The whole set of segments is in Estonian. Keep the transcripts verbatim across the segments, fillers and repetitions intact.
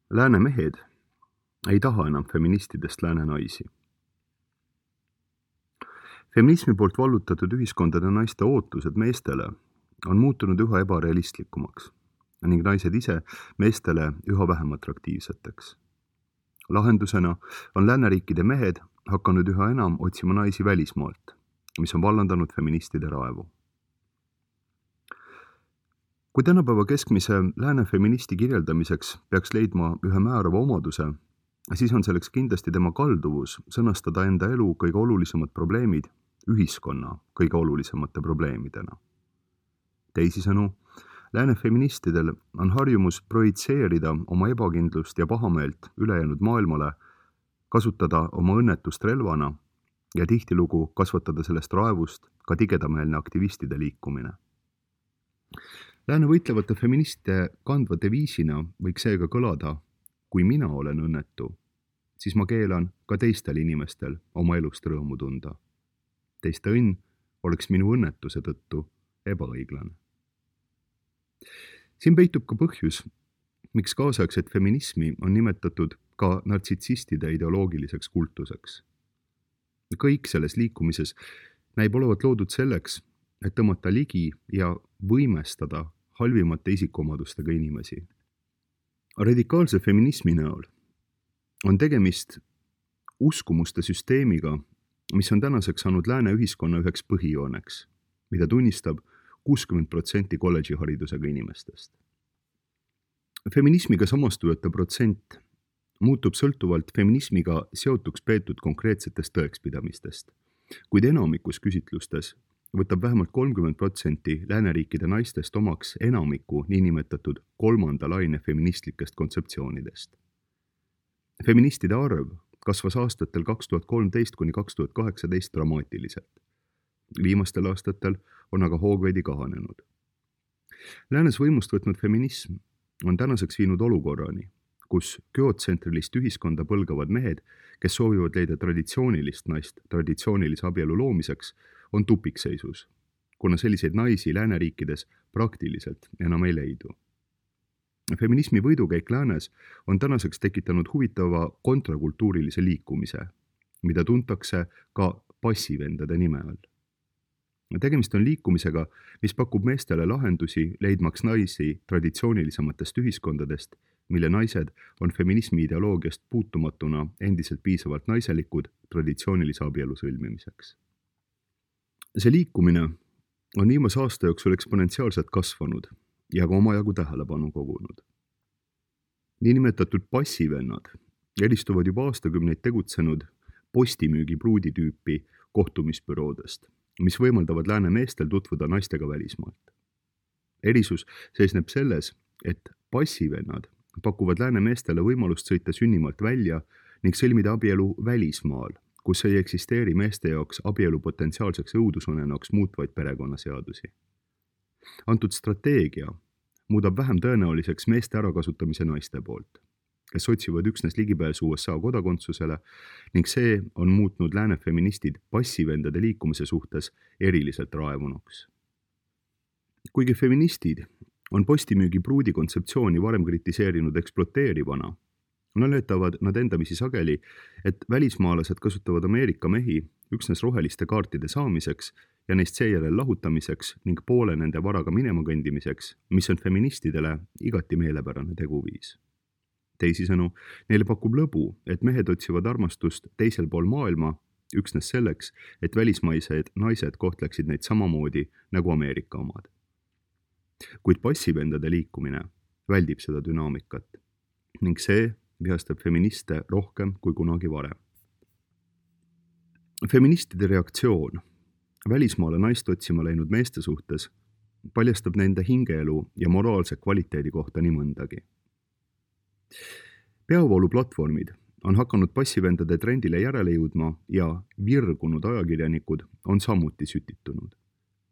Lääne mehed ei taha enam feministidest lääne naisi. Feminismi poolt vallutatud ühiskondade naiste ootused meestele on muutunud üha ebarealistlikumaks ning naised ise meestele üha vähem atraktiivseteks. Lahendusena on lääneriikide mehed hakanud üha enam otsima naisi välismaalt, mis on vallandanud feministide raevu. Kui tänapäeva keskmise lääne feministi kirjeldamiseks peaks leidma ühe määrava omaduse, siis on selleks kindlasti tema kalduvus sõnastada enda elu kõige olulisemad probleemid ühiskonna kõige olulisemate probleemidena. Teisisõnu, lääne feministidel on harjumus projitseerida oma ebakindlust ja pahameelt ülejäänud maailmale, kasutada oma õnnetust relvana ja tihtilugu kasvatada sellest raevust ka tigedameelne aktivistide liikumine. Lääne võitlevate feministide kandva deviisina võiks seega kõlada, kui mina olen õnnetu, siis ma keelan ka teistel inimestel oma elust rõõmu tunda. Teiste õnn oleks minu õnnetuse tõttu ebaõiglane. Siin peitub ka põhjus, miks kaasaegset feminismi on nimetatud ka nartsitsistide ideoloogiliseks kultuseks. Kõik selles liikumises näib olevat loodud selleks, et tõmmata ligi ja võimestada halvimate isikuomadustega inimesi. Radikaalse feminismi näol on tegemist uskumuste süsteemiga, mis on tänaseks saanud lääne ühiskonna üheks põhijooneks, mida tunnistab kuuskümmend protsenti kolledžiharidusega inimestest. Feminismiga samastujate protsent muutub sõltuvalt feminismiga seotuks peetud konkreetsetest tõekspidamistest, kuid enamikus küsitlustes võtab vähemalt kolmkümmend protsenti lääneriikide naistest omaks enamiku niinimetatud kolmanda laine feministlikest kontseptsioonidest. Feministide arv kasvas aastatel kaks tuhat kolmteist kuni kaks tuhat kaheksateist dramaatiliselt. Viimastel aastatel on aga hoog veidi kahanenud. Läänes võimust võtnud feminism on tänaseks viinud olukorrani, kus geotsentrilist ühiskonda põlgavad mehed, kes soovivad leida traditsioonilist naist traditsioonilise abielu loomiseks, on tupikseisus, kuna selliseid naisi lääneriikides praktiliselt enam ei leidu. Feminismi võidukäik läänes on tänaseks tekitanud huvitava kontrakultuurilise liikumise, mida tuntakse ka passivendade nime all. Tegemist on liikumisega, mis pakub meestele lahendusi leidmaks naisi traditsioonilisematest ühiskondadest, mille naised on feminismi ideoloogiast puutumatuna endiselt piisavalt naiselikud traditsioonilise abielu sõlmimiseks. See liikumine on viimase aasta jooksul eksponentsiaalselt kasvanud ja ka omajagu tähelepanu kogunud. Niinimetatud passivennad eristuvad juba aastakümneid tegutsenud postimüügi pruuditüüpi kohtumisbüroodest, mis võimaldavad lääne meestel tutvuda naistega välismaalt. Erisus seisneb selles, et passivennad pakuvad lääne meestele võimalust sõita sünnimaalt välja ning sõlmida abielu välismaal, kus ei eksisteeri meeste jaoks abielu potentsiaalseks õudusunenaks muutvaid perekonnaseadusi. Antud strateegia muudab vähem tõenäoliseks meeste ärakasutamise naiste poolt, kes otsivad üksnes ligipääsu U S A kodakondsusele ning see on muutnud lääne feministid passivendade liikumise suhtes eriliselt raevunuks. Kuigi feministid on postimüügi pruudi kontseptsiooni varem kritiseerinud eksploteerivana, naletavad nad endamisi sageli, et välismaalased kasutavad Ameerika mehi üksnes roheliste kaartide saamiseks ja neist seejärel lahutamiseks ning poole nende varaga minema kõndimiseks, mis on feministidele igati meelepärane teguviis. Teisisõnu, neile pakub lõbu, et mehed otsivad armastust teisel pool maailma üksnes selleks, et välismaised naised kohtleksid neid samamoodi nagu Ameerika omad. Kuid passivendade liikumine väldib seda dünaamikat ning see vihastab feministe rohkem kui kunagi varem. Feministide reaktsioon välismaale naist otsima läinud meeste suhtes paljastab nende hingeelu ja moraalse kvaliteedi kohta nii mõndagi. Peavooluplatvormid on hakanud passivendade trendile järele jõudma ja virgunud ajakirjanikud on samuti sütitunud.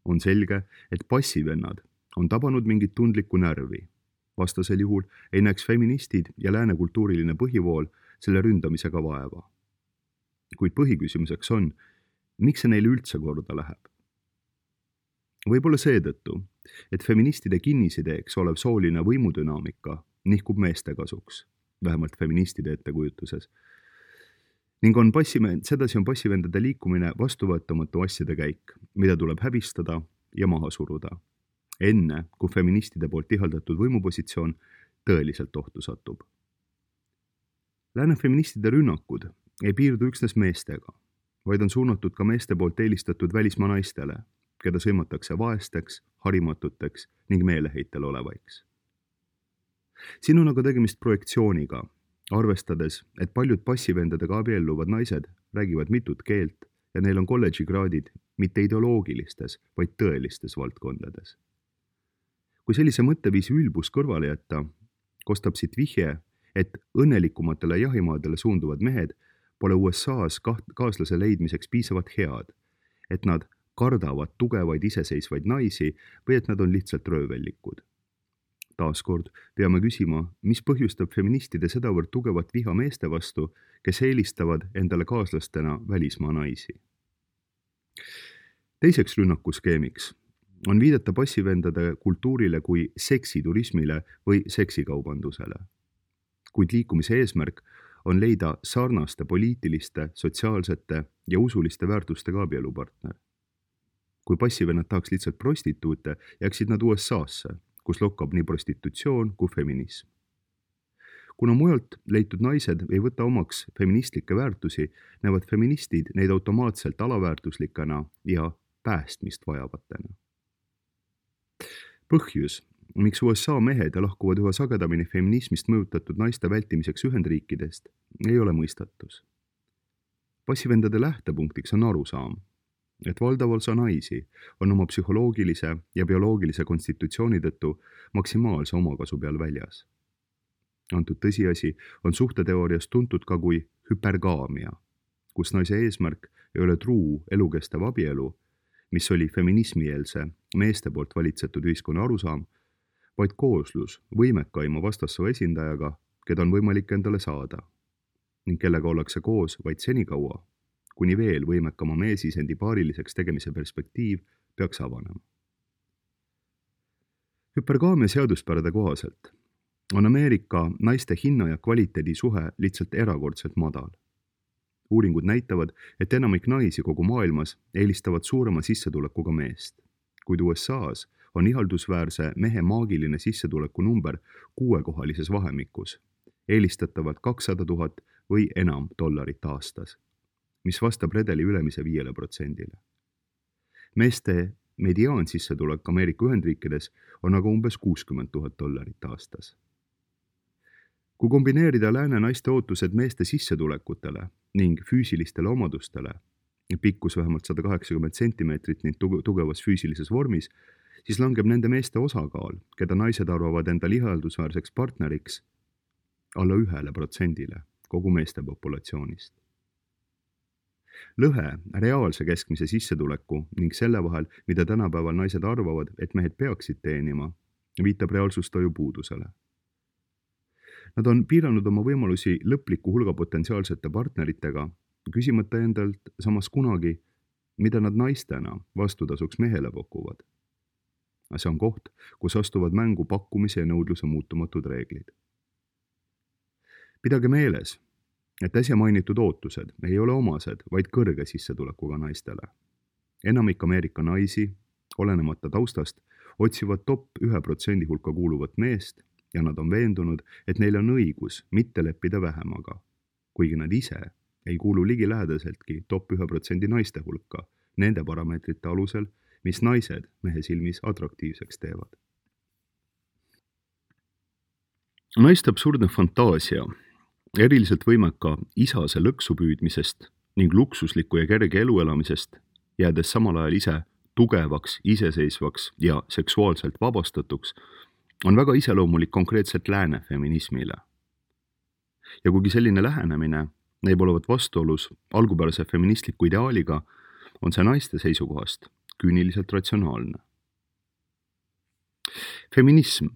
On selge, et passivennad on tabanud mingit tundlikku närvi. Vastasel juhul ei näeks feministid ja lääne kultuuriline põhivool selle ründamisega vaeva. Kuid põhiküsimuseks on, miks see neile üldse korda läheb? Võib-olla seetõttu, et feministide kinnisideeks olev sooline võimudünaamika nihkub meeste kasuks vähemalt feministide ettekujutuses. Ning on passive, sedasi on passivendade liikumine vastuvõetamatu asjade käik, mida tuleb häbistada ja maha suruda, enne kui feministide poolt ihaldatud võimupositsioon tõeliselt ohtu satub. Lääne feministide rünnakud ei piirdu üksnes meestega, vaid on suunatud ka meeste poolt eelistatud välismaa naistele, keda sõimatakse vaesteks, harimatuteks ning meeleheitel olevaiks. Siin on aga tegemist projektsiooniga, arvestades, et paljud passivendadega abielluvad naised räägivad mitut keelt ja neil on kolledžikraadid mitte ideoloogilistes, vaid tõelistes valdkondades. Kui sellise mõtteviisi ülbus kõrvale jätta, kostab siit vihje, et õnnelikumatele jahimaadele suunduvad mehed pole U S A-s kaaslase leidmiseks piisavalt head, et nad kardavad tugevaid iseseisvaid naisi või et nad on lihtsalt röövellikud. Taaskord peame küsima, mis põhjustab feministide sedavõrd tugevat viha meeste vastu, kes eelistavad endale kaaslastena välismaa naisi. Teiseks rünnakuskeemiks on viidata passivendade kultuurile kui seksiturismile või seksikaubandusele. Kuid liikumise eesmärk on leida sarnaste poliitiliste, sotsiaalsete ja usuliste väärtustega abielupartner. Kui passivennad tahaks lihtsalt prostituute, jääksid nad U S A-sse, kus lokkab nii prostitutsioon kui feminism. Kuna mujalt leitud naised ei võta omaks feministlikke väärtusi, näevad feministid neid automaatselt alaväärtuslikena ja päästmist vajavatena. Põhjus, miks U S A mehed lahkuvad üha sagedamini feminismist mõjutatud naiste vältimiseks Ühendriikidest, ei ole mõistatus. Passivendade lähtepunktiks on arusaam, et valdav osa naisi on oma psühholoogilise ja bioloogilise konstitutsiooni tõttu maksimaalse omakasu peal väljas. Antud tõsiasi on suhteteoorias tuntud ka kui hüpergaamia, kus naise eesmärk ei ole truu elukestev abielu, mis oli feminismieelse meeste poolt valitsetud ühiskonna arusaam, vaid kooslus võimekaima vastassoo esindajaga, keda on võimalik endale saada, ning kellega ollakse koos vaid senikaua, kuni veel võimekama meesisendi paariliseks tegemise perspektiiv peaks avanema. Hüpergaamia seaduspärade kohaselt on Ameerika naiste hinna ja kvaliteedi suhe lihtsalt erakordselt madal. Uuringud näitavad, et enamik naisi kogu maailmas eelistavad suurema sissetulekuga meest, kuid U S A-s on ihaldusväärse mehe maagiline sissetuleku number kuuekohalises vahemikus, eelistatavalt kakssada tuhat või enam dollarit aastas, mis vastab redeli ülemise viiele protsendile. Meeste mediaansissetulek Ameerika Ühendriikides on aga umbes kuuskümmend tuhat dollarit aastas. Kui kombineerida lääne naiste ootused meeste sissetulekutele ning füüsilistele omadustele, pikkus vähemalt sada kaheksakümmend sentimeetrit ning tugevas füüsilises vormis, siis langeb nende meeste osakaal, keda naised arvavad enda ihaldusväärseks partneriks, alla ühele protsendile kogu meeste populatsioonist. Lõhe reaalse keskmise sissetuleku ning selle vahel, mida tänapäeval naised arvavad, et mehed peaksid teenima, viitab reaalsustoju puudusele. Nad on piiranud oma võimalusi lõpliku hulga potentsiaalsete partneritega, küsimata endalt samas kunagi, mida nad naistena vastutasuks mehele pakuvad. See on koht, kus astuvad mängu pakkumise ja nõudluse muutumatud reeglid. Pidage meeles, et äsja mainitud ootused ei ole omased, vaid kõrge sissetulekuga naistele. Enamik Ameerika naisi, olenemata taustast, otsivad top ühe protsendi hulka kuuluvat meest ja nad on veendunud, et neil on õigus mitte leppida vähemaga, kuigi nad ise ei kuulu ligilähedaseltki top ühe protsendi naiste hulka, nende parameetrite alusel, mis naised mehe silmis atraktiivseks teevad. Naiste absurdne fantaasia, eriliselt võimeka isase lõksu püüdmisest ning luksusliku ja kerge elu elamisest, jäädes samal ajal ise tugevaks, iseseisvaks ja seksuaalselt vabastatuks, on väga iseloomulik konkreetselt lääne feminismile. Ja kuigi selline lähenemine näib olevat vastuolus algupärase feministliku ideaaliga, on see naiste seisukohast küüniliselt ratsionaalne. Feminism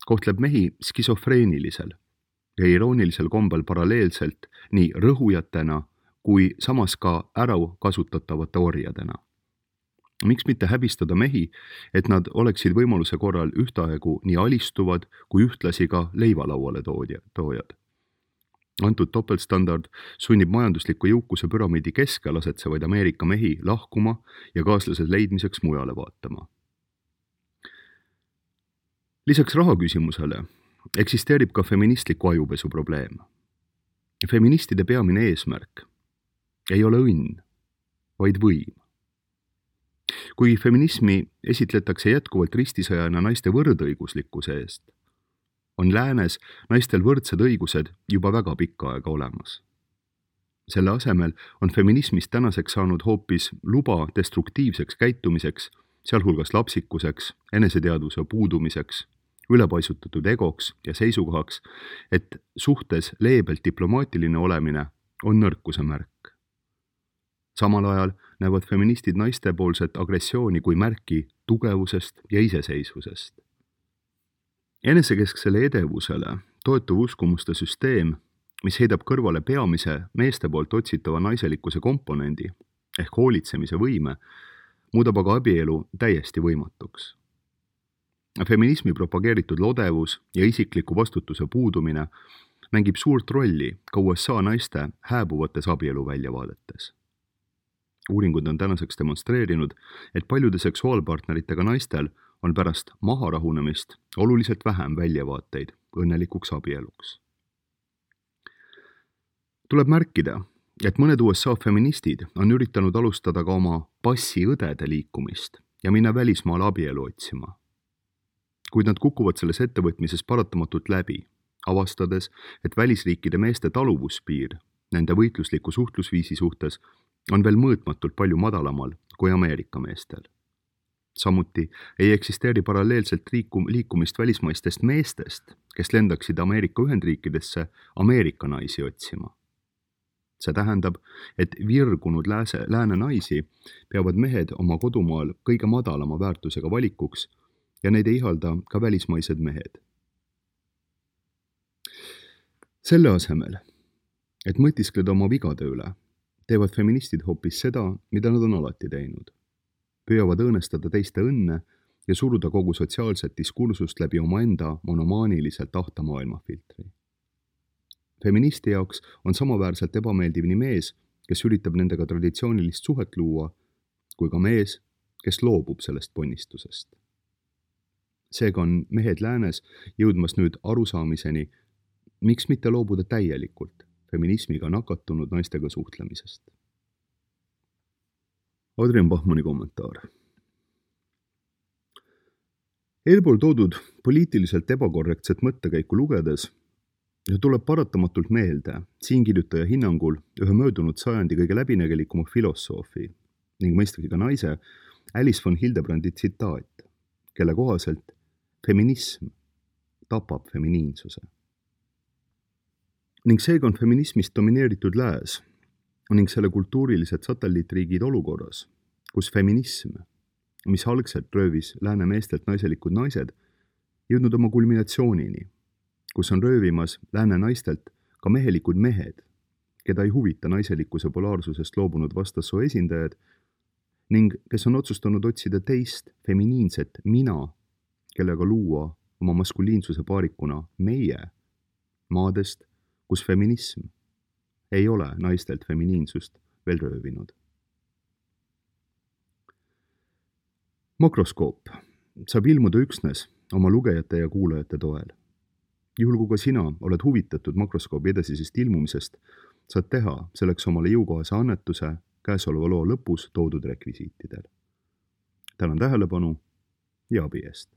kohtleb mehi skisofreenilisel ja iroonilisel kombel paralleelselt nii rõhujatena kui samas ka ära kasutatavate orjadena. Miks mitte häbistada mehi, et nad oleksid võimaluse korral ühtaegu nii alistuvad kui ühtlasi ka leivalauale toojad? Antud topeltstandard sunnib majandusliku jõukuse püramiidi keskel asetsevaid Ameerika mehi lahkuma ja kaaslased leidmiseks mujale vaatama. Lisaks rahaküsimusele eksisteerib ka feministliku ajupesu probleem. Feministide peamine eesmärk ei ole õnn, vaid võim. Kui feminismi esitletakse jätkuvalt ristisõjana naiste võrdõiguslikkuse eest, on läänes naistel võrdsed õigused juba väga pikka aega olemas. Selle asemel on feminismist tänaseks saanud hoopis luba destruktiivseks käitumiseks, sealhulgas lapsikuseks, eneseteadvuse puudumiseks, ülepaisutatud egoks ja seisukohaks, et suhtes leebelt diplomaatiline olemine on nõrkuse märk. Samal ajal näevad feministid naistepoolset agressiooni kui märki tugevusest ja iseseisvusest. Enesekesksele edevusele toetuv uskumuste süsteem, mis heidab kõrvale peamise meeste poolt otsitava naiselikkuse komponendi ehk hoolitsemise võime, muudab aga abielu täiesti võimatuks. Feminismi propageeritud lodevus ja isikliku vastutuse puudumine mängib suurt rolli ka U S A naiste hääbuvates abielu väljavaadetes. Uuringud on tänaseks demonstreerinud, et paljude seksuaalpartneritega naistel on pärast maharahunemist oluliselt vähem väljavaateid õnnelikuks abieluks. Tuleb märkida, et mõned U S A feministid on üritanud alustada ka oma passiõdede liikumist ja minna välismaale abielu otsima. Kuid nad kukuvad selles ettevõtmises paratamatult läbi, avastades, et välisriikide meeste taluvuspiir nende võitlusliku suhtlusviisi suhtes on veel mõõtmatult palju madalamal kui Ameerika meestel. Samuti ei eksisteeri paralleelselt liikum, liikumist välismaistest meestest, kes lendaksid Ameerika Ühendriikidesse Ameerika naisi otsima. See tähendab, et virgunud lääse, lääne naisi peavad mehed oma kodumaal kõige madalama väärtusega valikuks ja neid ei ihalda ka välismaised mehed. Selle asemel, et mõtiskleda oma vigade üle, teevad feministid hoopis seda, mida nad on alati teinud. Püüavad õõnestada teiste õnne ja suruda kogu sotsiaalset diskursust läbi omaenda monomaaniliselt ahta maailmafiltri. Feministi jaoks on samaväärselt ebameeldiv nii mees, kes üritab nendega traditsioonilist suhet luua, kui ka mees, kes loobub sellest ponnistusest. Seega on mehed läänes jõudmas nüüd arusaamiseni, miks mitte loobuda täielikult feminismiga nakatunud naistega suhtlemisest. Adrian Bachmanni kommentaar. Eelpool toodud poliitiliselt ebakorrektset mõttekäiku lugedes tuleb paratamatult meelde siinkirjutaja hinnangul ühe möödunud sajandi kõige läbinägelikuma filosoofi ning mõistagi ka naise Alice von Hildebrandi tsitaat, kelle kohaselt feminism tapab feminiinsuse. Ning seega on feminismist domineeritud lääs ning selle kultuurilised satelliitriigid olukorras, kus feminism, mis algselt röövis lääne meestelt naiselikud naised, jõudnud oma kulminatsioonini, kus on röövimas lääne naistelt ka mehelikud mehed, keda ei huvita naiselikkuse polaarsusest loobunud vastassoo esindajad ning kes on otsustanud otsida teist feminiinset mina, kellega luua oma maskuliinsuse paarikuna meie maadest, kus feminism ei ole naistelt feminiinsust veel röövinud. Makroskoop saab ilmuda üksnes oma lugejate ja kuulajate toel. Juhul kui ka sina oled huvitatud makroskoobi edasisest ilmumisest, saad teha selleks omale jõukohase annetuse käesoleva loo lõpus toodud rekvisiitidel. Tänan tähelepanu ja abi eest!